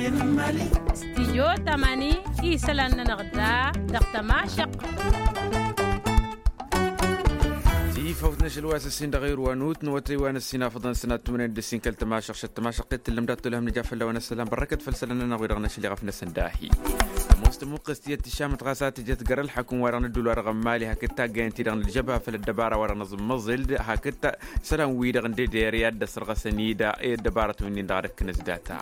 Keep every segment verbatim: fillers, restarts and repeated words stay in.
Stijyo tamani isălan-nănăɣ da dăɣ-tămašăq. Tifawt n-ašăl wa s-ǝssin dăɣ-irwanut n-awătay wa n-ǝssin afăḍăn sănat tumănen d-ǝssin kăl-tămašăq šăt tămašăq tǝllăm dat-tolhăm nǝja fălla-wen ăssălam bărrăkăt făll-isălan-nănăɣ wi-dăɣ n-ašăl iɣăf-năsăn dahi. Ămoos tămuqqest iyyăt tǝšamăt ɣas a tǝjăt găr-ălḥăkǝm-wa-dăɣ n-ădduul-wa-dăɣ n-mali hakd taggayăn-ti-dăɣ n-ălžăbha făll-ăddăbara-wa-dăɣ n-aẓǝmmăẓǝl d-hakd isălan-wi-dăɣ n-deder i-ad-dd-ăsrăɣăsăn-dd i-ăddăbarătăn wi-nin-dăɣ ad-ǝkkǝnăs data.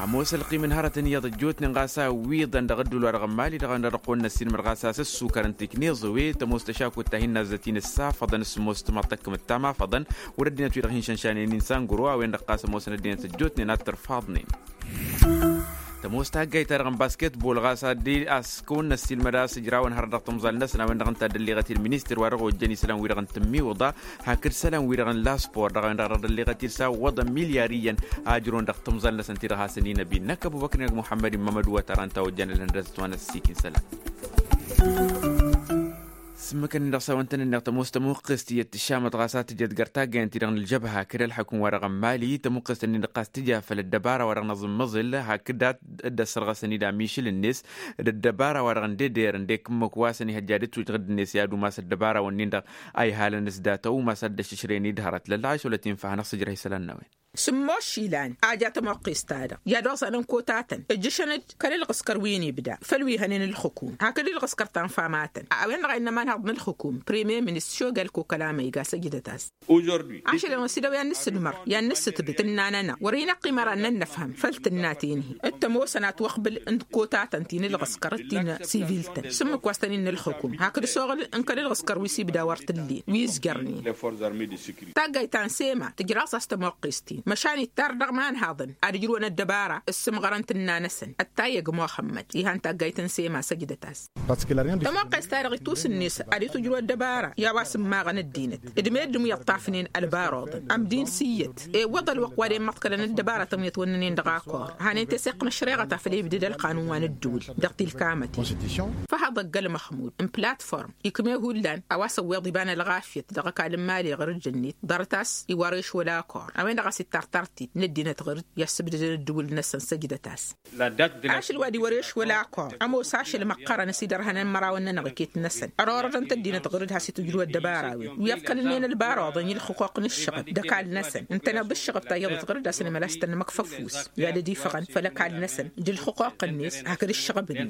Ămoos ălqim n-hărătăn iyyăḍ ăjjootnen ɣas a ǝwwiḍăn dăɣ-ădduul-wa-dăɣ n-mali dăɣ-a-wen-dăɣ dăɣ-kăwăn-năssin măr ɣas a-s ăssukărăn tikniẓăwe tămoos tăšakut ta hin-nazzăt-in ǝssafăḍăn s-ămoos timărtăkkǝmăt ta mafăḍăn wăr-ăddinăt wi-dăɣ hin-šănšanen-in sangro a-wen-dăɣ ɣas ămoosăn ăddinăt ăjjootnen ad-tărfaḍnen. Tămoos taggayt-ta-dăɣ n-basketbol ɣas ad-dd-askăwăn n-ăssiilmăd a-s ǝjrawăn hărăt dăɣ-timẓal-năsăn a-wen-dăɣ ǝnta a dd-ălliɣăt-dd ministăr wa dăɣ-ojjăn isălan-wi-dăɣ n-tǝmmiwǝḍa hakd isălan-wi-dăɣ n-laspor dăɣ-a-wen-dăɣ a dd-ălliɣăt-dd s-awwăḍăn milyar iyyăn a ǝjrăwăn dăɣ-timẓal-năsăn ti-dăɣ hasăn-in-ăbin năkk ăbubăkr n-ag muḥămmăd immămăd wăt-ara ǝnta a ojjăn ălhăndăzăt wa n-ăssiik n-isălan. S-ǝmmǝkăn-in-dăɣ s-a-wăn tăn-ǝnneɣ tămoos tămuqqest iyyăt tǝššamăt ɣas a tǝjăt găr taggayăn-ti-dăɣ n-ălžăbha hakd ălḥăkum-wa-dăɣ n-mali tămuqqest-nin-dăɣ ɣas tǝja făll-ăddăbara-wa-dăɣ n-aẓǝmmăẓǝl hakd a dd-ăssărɣăsăn-dd amišǝl-net d-ăddăbara-wa-dăɣ n-deder ǝndek ǝmmǝk wa s-ănihăjja d-ǝtwǝjɣǝd-net i-ad-umas ăddăbara-wǝnnin-dăɣ a ihalăn s-data umas ad-dd-ăššǝšrăyăn-dd hărăt lălla a išolăt infa hanăɣ-sǝjrăh isălan n-a-wen. Sǝmmos išilan a ja tămoqqest-ta-dăɣ i-ad-oẓanăn kotatăn ǝjjǝšăn-dd kăl-ǝlɣǝskăr wi n-ibda făll-wi hănen ǝlxǝkum hakd ǝlɣǝskăr ta n-famatăn. A-wen-dăɣ a innă ămanhăḍ n-ǝlxǝkum premier ministăr šogal kokalama iga săjdăt-as. Ašăl-en-wi s-idăw i-ad-nǝssǝdmăr i-ad-nǝssǝtbǝt tǝnna-nănăɣ wăr-hin-ăqqim ara ad-nănnăfhăm făll-tǝnna ti-nǝhi d-tămoosăn a ătwăqbǝl n-kotatăn ti n-ǝlɣǝskăr d-ti n-siviltăn s-ǝmmǝk wa s-tăn-innă ǝlxǝkum hakd s-oɣǝl n-kăl-ǝlɣǝskăr wi s-ibda wăr t-ǝllen wi ǝzjărnen. Taggayt ta n-sema tǝjraẓ a-s tămoqqest-in măšan ittar dăɣ-imanhaḍăn ad-ǝjrǝwăn ăddăbara s-sǝmɣărăn tǝnna-năsăn. Ăttayăg muxămmăd ihan taggayt n-sema săjdăt-as. Tămoqqest-ta-dăɣ itusǝnnes ad-itwǝjrǝw ăddăbara i-a-wa s-ǝmmaɣăn ăddinăt d-meddǝn wi ǝṭṭafnen ălbaruḍăn ămdin s-iyyăt ewwăḍ ălwăqq wa d-immăḍkălăn ăddăbaratăn wi ătwănnănen dăɣ-akor. Hanen teseɣt n-ăššăreɣăt a făl ibdǝd ălqanun wa n-ădduul dăɣ-tilkamatăn. Făhăḍ ăgg-ălmăxmud n-platform ikme hullan a-wa s-ăwweḍ iba n-ălɣafyăt dăɣ-ăkall n-imali ɣǝr-dd-net ḍarăt-as iwar ešwăl akor a-wen-dăɣ a-s ittartar-t-dd năddinăt ɣǝr-dd i-assǝbdădăn ăddǝwǝl-năsăn săjdăt-as. Ašăl wa d-iwăr ešwăl akor ămoos ašăl măqqărăn s-idărhănăn mărawăn-nănăɣ iket-năsăn ărorădăn-t ăddinăt ɣǝr-dd has-itwǝjrǝw ăddăbara-wen wi ăḍkălnen ălbaruḍăn i-ǝlxǝquq n-ǝššăɣǝb d-ăkall-năsăn ǝntăneḍ d-ǝššăɣǝb ta iyyăḍ ɣǝr-dd a-s nǝmăla a-s tăn-nǝmăkfăf ufus i-ad-dd-ifăɣăn făll-ăkall-năsăn d-ǝlxǝquq-net hakd ǝššăɣǝb-net.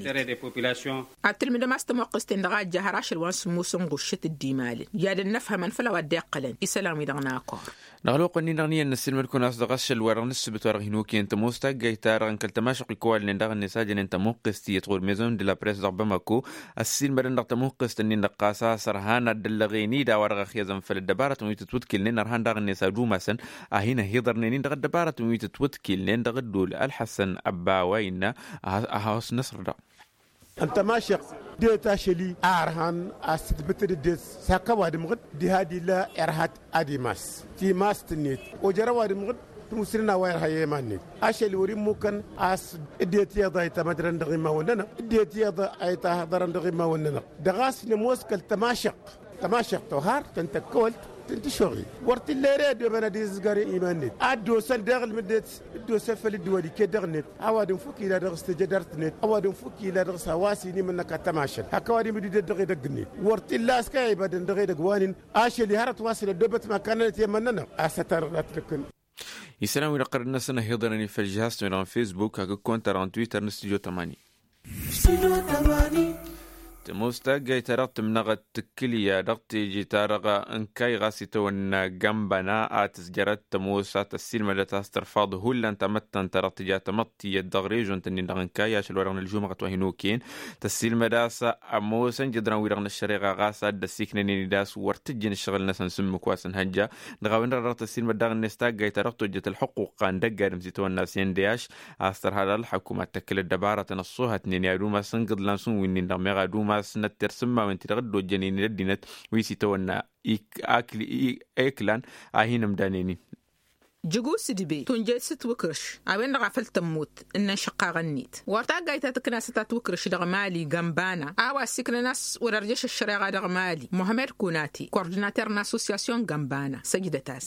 Ad-tǝlmǝdăm a-s tămoqqest-en-dăɣ a ǝjja har ašăl wa n-sǝmmos n-ɣuššăt d-imalăn i-ad-ănnăfhămăn făll-a-wa dd-iqqălăn isălan-wi-dăɣ n-akor. Dăɣ-ălwăqq-ǝnnin-dăɣ n-iyyăn n-ăssiilmăd-kăwăn a-s dăɣ-ašăl-wa-dăɣ n-ǝssǝbǝt wa dăɣ-hin-okăyăn tămoos taggayt-ta-dăɣ n-kăl-tămašăq wi kăwalnen daɣ-net a jănen tămuqqest iyyăt ɣur-maison de la press dăɣ-bamako. Ăssiilmădăn dăɣ-tămuqqest-ǝnnin-dăɣ ɣas a-s ărhan ad-dd-ăllăɣen-dd a-wa dăɣ-ăxyăẓăn făll-ăddăbarătăn wi tǝtwǝtkǝlnen ărhan daɣ-net ad-umasăn a hin-ăhiḍărnen-in dăɣ-ăddăbarătăn wi tǝtwǝtkǝlnen dăɣ-ăddol. Ălḥăssăn ăbba a-wa innă a has-năṣr daɣ. Ǝnta mašăq det ašăl-i a ărhan a-s tǝtbǝtǝd ăddinăt s-hak ăwadǝm ɣǝd diha d-illa irha-t ad-imas timast-net ojăr ăwadǝm ɣǝd tǝmusǝlăn a-wa irha i-iman-net. Ašăl-i wăr-immukăn a-s ǝddet iyyăḍ a itămădrăn dăɣ-imawăn-nănăɣ ǝddet iyyăḍ a ităhăḍărăn dăɣ-imawăn-nănăɣ. Dăɣ-a-s nămoos kăl-tămašăq tămašăq tohar tăn-tăkkăwălt tăn-tǝššoɣi wăr t-illa ere ăddoobăn ad-izǝzgar i-iman-net ad-dd-osăn deɣ ǝlmǝdnet dd-osăn făll-dd-wăr iket dăɣ-net. Ăwadǝm fuk ila dăɣ-s tejădart-net ăwadǝm fuk ila dăɣ-s a-wa s-inimǝnnăk ad-tămašăl hak ăwadǝm dd-idăt dăɣ-edăgg-net. Wăr t-illa a-s kăy-a ibadăn dăɣ-edăgg wa-nin ašăl-i hărăt wa s-dd-ăddoobăt măkkanăn ătiyămmăn-nănăɣ. A-s ăttarăɣ d-ad-t-năkkăn. Isălan-wi-dăɣ ɣărăn-năsăn ăhiḍărăn-in făll-žihaz-tăn-wi-dăɣ n-facebook hakd kăwăn-ta-dăɣ n-twitter n-studyo tămani. Tămoos taggayt-ta-dăɣ tǝmnăɣăt tǝkkǝlya dăɣ-teje-ta-dăɣ n-kayy ɣas itawănna gambana a tǝzjărăt tămoos a tăssiilmădăt a-s tărfaḍ hullan tamăttant-ta-dăɣ tǝja tamăḍt tiyyăt dăɣ-režon-tăn-in-dăɣ n-kayy ašăl wa dăɣ-nǝlžumăɣăt wa hin-okăyăn. Tăssiilmăd a-s ămoosăn jǝḍran-wi-dăɣ n-ăššăreɣa ɣas a dd-ăsiknănen-dd a-s wăr t-ǝjjǝn ǝššăɣǝl-năsăn s-ǝmmǝk wa s-ǝnhăjja. Dăɣ-a-wen-dăɣ a dăɣ-tăssiilmăd daɣ-net taggayt-ta-dăɣ tojjăt ălxuqquq a n-dăgg-adǝm s-itawănna s-indeyaš a-s tărha dăɣ-ălxăkum ad-tăkkǝl ăddăbarătăn ăṣṣoohătnen i-ad-umas n-igǝḍlan šund wi-nin-dăɣ meɣ ad-umas n-ătter s-ǝmmawăn-ti-dăɣ dd-ojjănen i-ăddinăt wi s-itawănna iklan a hin-ǝmdanen-in. Jǝgu s-ǝdbe tunjăy s-ǝtwǝkrǝš a-wen-dăɣ a făl tămmut ǝnnăn šăqqaɣăn-net wăr taggayt ta tǝkna s-tatwǝkrǝš dăɣ-mali gănbana a-wa ăssiiknăn a-s wăr-ărjăš ăššăreɣa dăɣ-mali muhămmed kunati kordinater n-associasyon gănbana săjdăt-as.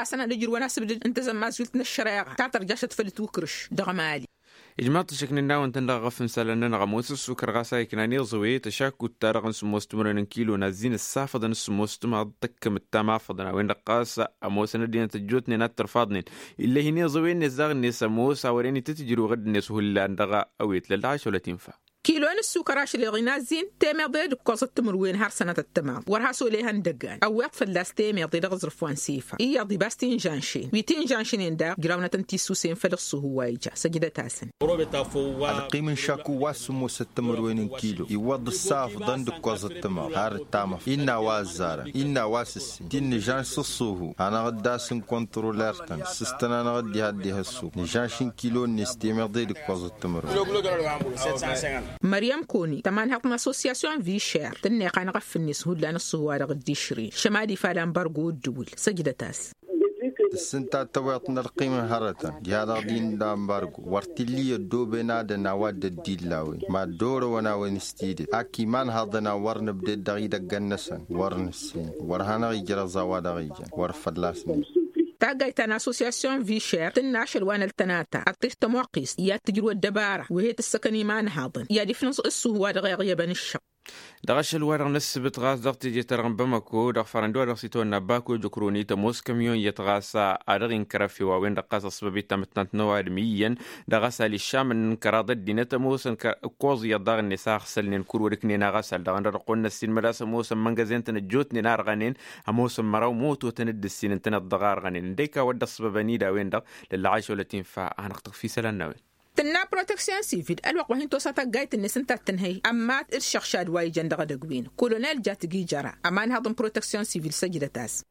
ăddăbarasăn ad-ǝjrǝwăn asǝbdǝd n-tezămmazult n-ăššăreɣa ta tărja ašăt făll-ǝtwǝkrǝš dăɣ-mali. Ijmaḍ-t ăššăk n-innawăn-tăn dăɣ-aɣăf n-isălan-nănăɣ ămoos ǝssukăr ɣas a iknan iẓǝwe tăšakkut-ta-dăɣ n-sǝmmos timǝrwen n-kilo n-azzin ǝssafăḍăn s-sǝmmos timaḍ tăkkăm ǝttam afăḍăn a-wen-dăɣ ɣas ămoosăn ăddinăt ăjjootnen ad-tărfaḍnen. Ill'-e hin-iẓǝwe-net daɣ-net ămoos a wărăn itǝtǝjrǝw ɣǝdd-net hullan dăɣ-awet lălla ašăl ătinfa. Kilo n-ǝssukăr ašăl iɣinazzin temeḍe d-ǝkkoẓăt timǝrwen har sănătăt timaḍ wăr has-olehăn dăggan ăwweḍ fălla-s temeḍe dăɣ-aẓrǝf wa n-sifa iyyăḍ ibas tinžanšen wi tinžanšnen daɣ ǝjrawnătăn tisusen făll-ǝṣṣuhu wa ija săjdăt-asăn. Ălqim n-šakku wa s-sǝmmosăt timǝrwen n-kilo iwwăḍ ǝssafḍăn d-ǝkkoẓăt timaḍ har ǝttamăf innă a-wa ăzzarăn innă a-wa s-ǝssin ti n-nǝžanš s-ǝṣṣuhu hanăɣ-dd-asǝnkontroler-tăn s-ǝstăn-anăɣ dd-iha dd-iha ǝṣṣuhu nǝžanš n-kilo-net temeḍe d-ǝkkoẓăt timǝrwen. Măryăm koni tămanhăḍt n-assosyasyon višer tǝnneɣ anăɣ-ăffǝnnes hullan ǝṣṣuhu-wa-dăɣ dd-išrǝyăn šămad ifa lambargo ǝddǝwǝl săjdăt-as. Tǝssǝnta tăweḍt n-ălqim n-hărătăn diha-dăɣ din lambargo wăr t-illa i-ăddooben adăn a-wa dd-ăddilla a-wen mad-orăwăn a-wen s-tidǝt ak imanhaḍăn a wăr nǝbded dăɣ-idăggăn-năsăn wăr nǝssin wăr hanăɣ-ijrăẓ a-wa dăɣ-ijăn wăr fălla-s nǝjj. Taggayt ta n-assosyasyon višer tǝnna ašăl wa n-ăltănata ad-tǝj tămoqqist i-ad-tǝjrǝw ăddăbara wi he-tǝssăkăn imanhaḍăn i-ad-ifnǝẓ ǝssuhu wa dăɣ-iɣyăbăn ǝššăɣ. Dăɣ-ašăl-wa-dăɣ n-ăssǝbǝt ɣas dăɣ-teje-ta-dăɣ n-bamăko dăɣ-farăn d-wa-dăɣ s-itawănna bako jăkroni tămoos kămyon iyyăt ɣas a dăɣ-inkăr efew a-wen-dăɣ ɣas ăṣṣăbăb i-tamǝttant n-ăwadǝm iyyăn dăɣ-asal iššamăn n-kăraḍ ăddinăt ămoosăn ǝkkoẓ iyyăt daɣ-net a ăɣsălnen kurwăd ǝknen aɣasal dăɣ-ănn dăɣ-ăqqon n-ăssiinmăd a-s ămoosăn măngăzen-tăn ăjjootnen a ărɣănen ămoosăn măraw moto-tăn dd-ǝssin ǝntăneḍ dăɣ-a ărɣănen ǝndek a-wădden ăṣṣăbăbăn-dd a-wen-dăɣ lălla ašăl ătinfa a hanăɣ-tăɣfi isălan n-a-wen. Tǝnna proteksyon sivil ălwăqq wa hin-tosa taggayt-net ǝnta a t-tǝnhăy ămmat d-išăɣšad wa ijăn dăɣ-edăgg-win-dăɣ kolonel jat giijăra ămanhăḍ n-proteksyon sivil săjdăt-as.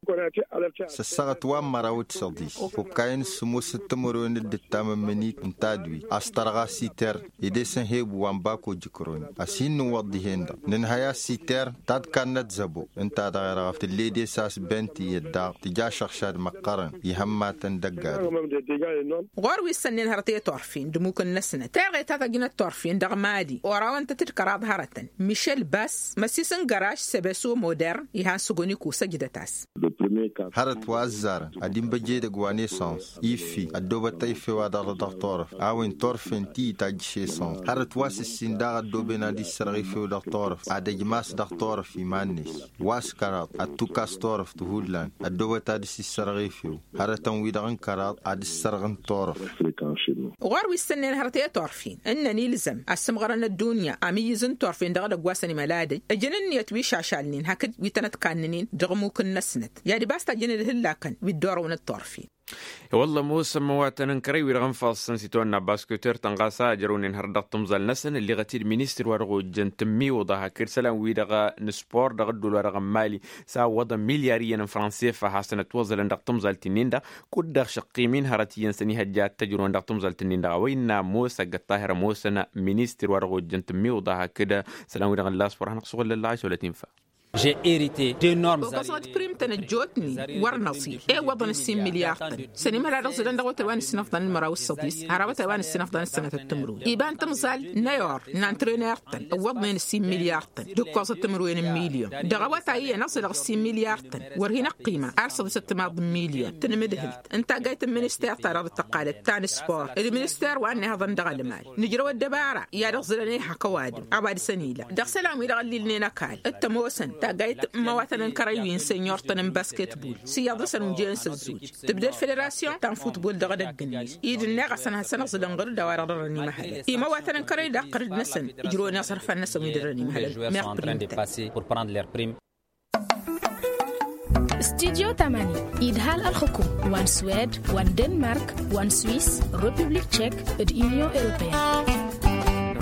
S-ăssaɣăt wa n-măraw d-săḍis fokkayen s-sǝmmosăt timǝrwen d-ǝttam n-imǝnit n-tadwit a-s tărɣa siter ed esăn hebu wa n-bako jǝkroni. A-s hin-nǝwwăḍ dihen-dăɣ nǝnhăy a-s siter ta d-kannăt zăbo ǝnta dăɣ-erɣăf tǝll'-e d-esas bent iyyăt daɣ tǝja ašăɣšad măqqărăn ihămmatăn dăgg-adǝm. Ɣur-wi ǝssănnen hărăt i-turfen d-ămmukǝn-năsnăt teɣe ta tăjnăt turfen dăɣ-mali orawăn-tăt d-kăraḍ hărătăn mišel bas măssis n-găraž sebeso modern ihan săgoniko săjdăt-as. Hărăt wa ăzzarăn ad-inbăj edăgg wa n-esăns iffi ăddoobăt efew ad-arră dăɣ-turăft a-wen turfen ti itajjǝš esăns hărăt wa s-ǝssin daɣ ăddooben ad-issărɣ efew dăɣ-turăft ad-ăjmas dăɣ-turăft iman-net wa s-kăraḍ ad-tukas turăft hullan ăddoobăt ad-dd-issărɣ efew hărătăn-wi-dăɣ n-kăraḍ ad-dd-issărɣ n-turăft. Ɣur-wi ǝssǝnnen hărăt i-turfen ǝnnăn ilzăm ad-sǝmɣărăn ăddunya amǝyyǝz n-turfen dăɣ-edăgg wa s-ănimăl adăj ǝjǝn ǝnniyăt wi šašalnen hakd wi tănăt-kannănen dăɣ-ămmuk-năsnăt i-ad-ibas tajjăn d-ihǝllakăn wi dd-orăwăn d-turfen. I-wălla ămoosăn măwatăn n-kărăy-wi-dăɣ n-ifassăn s-itawănna basketer-tăn ɣas a ăjrăwnen hărăt dăɣ-timẓal-năsăn ǝlleɣăt-dd ministăr wa dăɣ-ojjăn tǝmmiwǝḍa hakd isălan-wi-dăɣ n-spor dăɣ-ădduul-wa-dăɣ n-mali s-a ǝwwăḍăn milyar iyyăn n-fransefa ad-hasăn-ătwăẓălăn dăɣ-timẓalt-nin-dăɣ kud-dăɣ šăqqim-in hărăt iyyăn s-ănihăjja ad-t-ăjrăwăn dăɣ-timẓalt-nin-dăɣ a-wa innă ămoos ăgg-ăṭṭahir ămoosăn ministăr wa dăɣ-ojjăn tǝmmiwǝḍa hakd isălan-wi-dăɣ n-laspor ad-hanăɣ-suɣǝl lălla ašăwălăt infa. Ogăẓăɣ d-prim-tăn ăjjootnen wăr năẓil ewwăḍăn ǝssin milyar-tăn s-ănimăla dăɣ-zǝlăn dăɣ-awătay wa n-ǝssin ăfḍăn n-măraw s-săḍis har awătay wa n-ǝssin ăfḍăn n-sănătăt timǝrwen iba n-timẓal n-ayor n-antrener-tăn ǝwwăḍnen ǝssin milyar-tăn d-ǝkkoẓăt timǝrwen n-milyon dăɣ-awătay iyyăn ăẓẓălăɣ ǝssin milyar-tăn wăr hin-ăqqima ar săḍisăt timaḍ n-milyon tǝnmǝdhǝlt n-taggayt n-minister-ta-dăɣ d-tăqqalăt ta n-spor d-minister wa n-ihăḍăn dăɣ-ălmal nǝjrăw ăddăbara i-ad-ăẓẓǝlăn ehăk ăwadǝm a-wa dăr-săn ila dăɣ-isălan-wi-dăɣ ăllilnen ăkall d-tămoosăn Taggayt n-imăwatăn n-kărăy wi n-senyurtăn n-basketbul s-iyyăḍ-năsăn ujăyăn s-ăzzuj tǝbded federasyon ta n-futbul dăɣ-edăgg-net-i d-ǝnneɣ a-s ănhăsăn aẓǝlăn ɣur-dd a-wa-dăɣ dăr-ănimăhăl imăwatăn n-kărăy daɣ ɣur-dd-năsăn ǝjrăwăn iẓrǝfan-năsăn wi dăr-ănimăhăl. Meɣ prim-tăn. Studyo tamani idhal ălxǝkum wa n-swed wa n-denmark wa n-swis, republik tchek d-unyon europeyăn.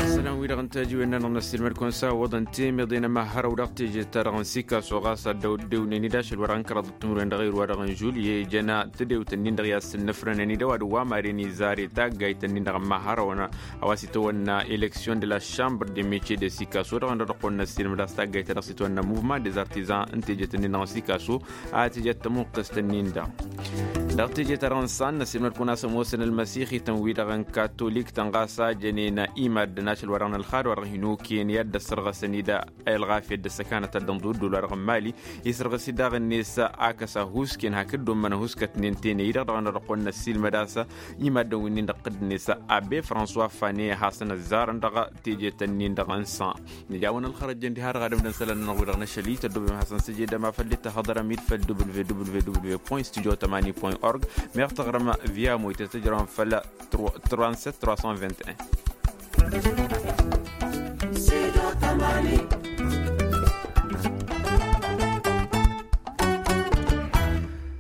Ăssalam-wi-dăɣ n-tajiwen-nănăɣ n-ăssiilmăd-kăwăn s-a ǝwwăḍăn temeḍe n-ămahărăw dăɣ-teje-ta-dăɣ n-sikaso ɣas ad-dd-ăwwăḍnen-dd ašăl wa dăɣ-n kăraḍăt timǝrwen dăɣ-ewăr wa dăɣ-n žul i-ijăn tedewt-nin-dăɣ i-ad-sǝnnǝfrănen-dd ăwadǝm wa maren izare taggayt-nin-dăɣ n-imahărăwăn. A-wa s-itawănna eleksyon de la šambr de mece de sikaso dăɣ-nădăɣ-kăwăn-năssiilmăd a-s taggayt-ta-dăɣ s-itawănna muvman de zartizan n-tejet-nin-dăɣ n-sikaso. A tejăt tămuqqǝst-nin-dăɣ dăɣ-teje-ta-dăɣ n-san năssiilmăd-kăwăn a-s ămoosăn ălmăsixităn-wi-dăɣ n-katolik-tăn ɣas a jănen i-maddǝn ašăl wa dăɣ-nălxad wa dăɣ-hin-okăyăn i-ad-dd-ăssărɣăsăn-dd. Ălɣafyăt d-ăssăkanăt ta dd-ănḍuddul wa dăɣ-n mali isărɣǝs-dd daɣ-net. Ak ăsa huskăyăn hakd dd-ommăn huskătnen tene-i-dăɣ dăɣ-nădăɣ-kăwăn-năssiilmăd a-s i-maddǝn wi-nin-dăɣ tădd-net. Abbe françois fane hasăn-ăzzarăn dăɣ-tejet-nin-dăɣ n-san. Nǝjawăn ălxărăjjăn diha-dăɣ ad-ǝmdăn isălan-nănăɣ-wi-dăɣ n-ašăl-i tăddobem ad-hasăn-săj edăm afăl dd-tahǝḍărăm-dd făll-w w w w point studio tamani point org. Meɣ tăɣrăm via moytet tǝjrăwăn făll-trente-sept trois cent vingt et un.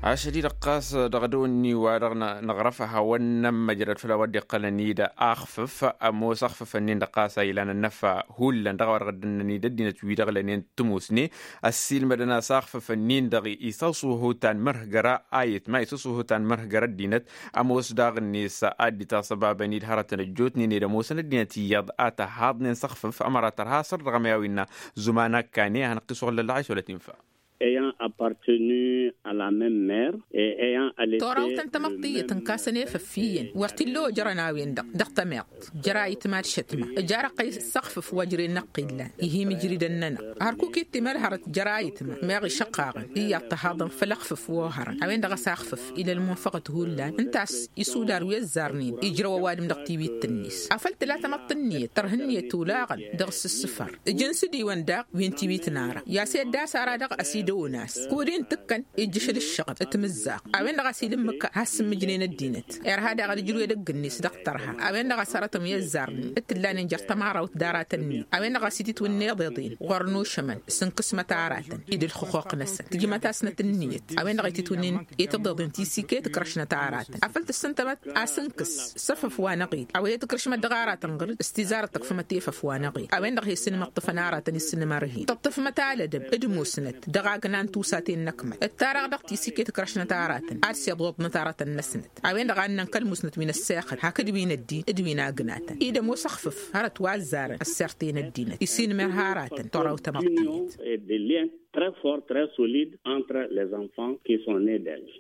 Ašăl-i-dăɣ ɣas dăɣ-dăw-ni wa dăɣ-năɣrăf ad-hawăn-nămmăjrăd făll-a-wa dd-iqqălăn-dd. Axfǝf ămoos axfǝf-nin-dăɣ ɣas a ilan ănnăfa hullan dăɣ-a-wa dăɣ-dd-ǝnnăn-dd ăddinăt-wi-dăɣ lănen tǝmusne. Ăssiilmădăn a-s axfǝf-nin-dăɣ isăṣuhu tanmărhgăra ayǝtma isăṣuhu tanmărhgăra ăddinăt. Ămoos daɣ-net ad-dd-itasăbabăn-dd hărătăn ăjjootnen ed ămoosăn ăddinăt iyyăḍ a tăhaḍnen s-axfǝf ămăra tărha săr dăɣ-ămyawi n-zuman ăkkane a hanăɣ-t-isuɣǝl lălɣayš wăla t-infa. Ayant appartenu à la même mère et ayant allaité. Torawtăn tamăḍt tiyyăt n-kasăn efăf iyyăn wăr t-illa ojărăn a-wen-dăɣ dăɣ-tămiḍt. Jăr-ayǝtma d-šătma ǝjarăɣ-t s-axfǝf wa ǝjren năqqillan. Ihi mǝjridăn-nănăɣ hărkuk ittimăl hărăt jăr-ayǝtma meɣ išăqqaɣăn iyyăḍ tăhaḍăn făll-axfǝf wa ohărăn a-wen-dăɣ a-s axfǝf ila ălmunfăɣăt hullan ǝnta a-s isudar wi ăzzarnen ijrăw ăwadǝm dăɣ-tiwit-net. Afăl tǝla tamăḍt ǝnniyăt tărha ǝnniyăt olaɣăn dăɣ-s ǝssǝfăr. Ǝjǝn s-dd-iwăn daɣ wi n-tiwit n-ara i-a-s edda a-s ara-dăɣ ăsidăwăn a-s kud-i n-tǝkkăn ijjǝšăl ǝššăɣăb timǝzzaɣt. A-wen-dăɣ a-s ila ǝmmǝk has-sǝmmǝjnen ăddinăt irha daɣ ad-ǝjrǝw edăgg-net dăɣ-tărha. A-wen-dăɣ a-s hărătăn wi ăzzarnen d-tǝllanen jer-tămarawt d-aratăn-net. A-wen-dăɣ a-s ititwǝnna iḍeḍen ɣur-nušămăn s-ǝnkǝsmăt aratăn ed ǝlxǝquq-năsăn tǝjmăt-asnăt ǝnniyăt. A-wen-dăɣ ititwǝnna i-tiḍeḍen tisikăy tǝkrăšnăt aratăn afăl tǝssǝntămăt a-s ǝnkǝs s-efăf wa n-eɣil a-wa i-tǝkrǝšmăt dăɣ-aratăn ɣǝr-dd s-tizarăt tăkfǝmăt i-efăf wa n-eɣil. A-wen-dăɣ a hi-sǝnmăḍtăfăn aratăn isǝnnǝmărhen tǝṭṭǝfmăt alădăm d-musnăt dăɣ-agna n-tusaten n-ăkmăl ǝttarăɣ dăɣ-tisikăy tǝkrăšnăt aratăn ad-siḍuḍnăt aratăn-năsnăt. A-wen-dăɣ a ǝnnăn kăl-musnăt wi n-ăssexăl hakd wi n-ăddin d-wi n-agnatăn-i d-ămoos ăxfǝf hărăt wa ăzzarăn ăssert i-năddinăt isinmărha aratăn toraw tamăḍt tiyyăt. Très fort, très solide entre les enfants qui sont nés d'elle.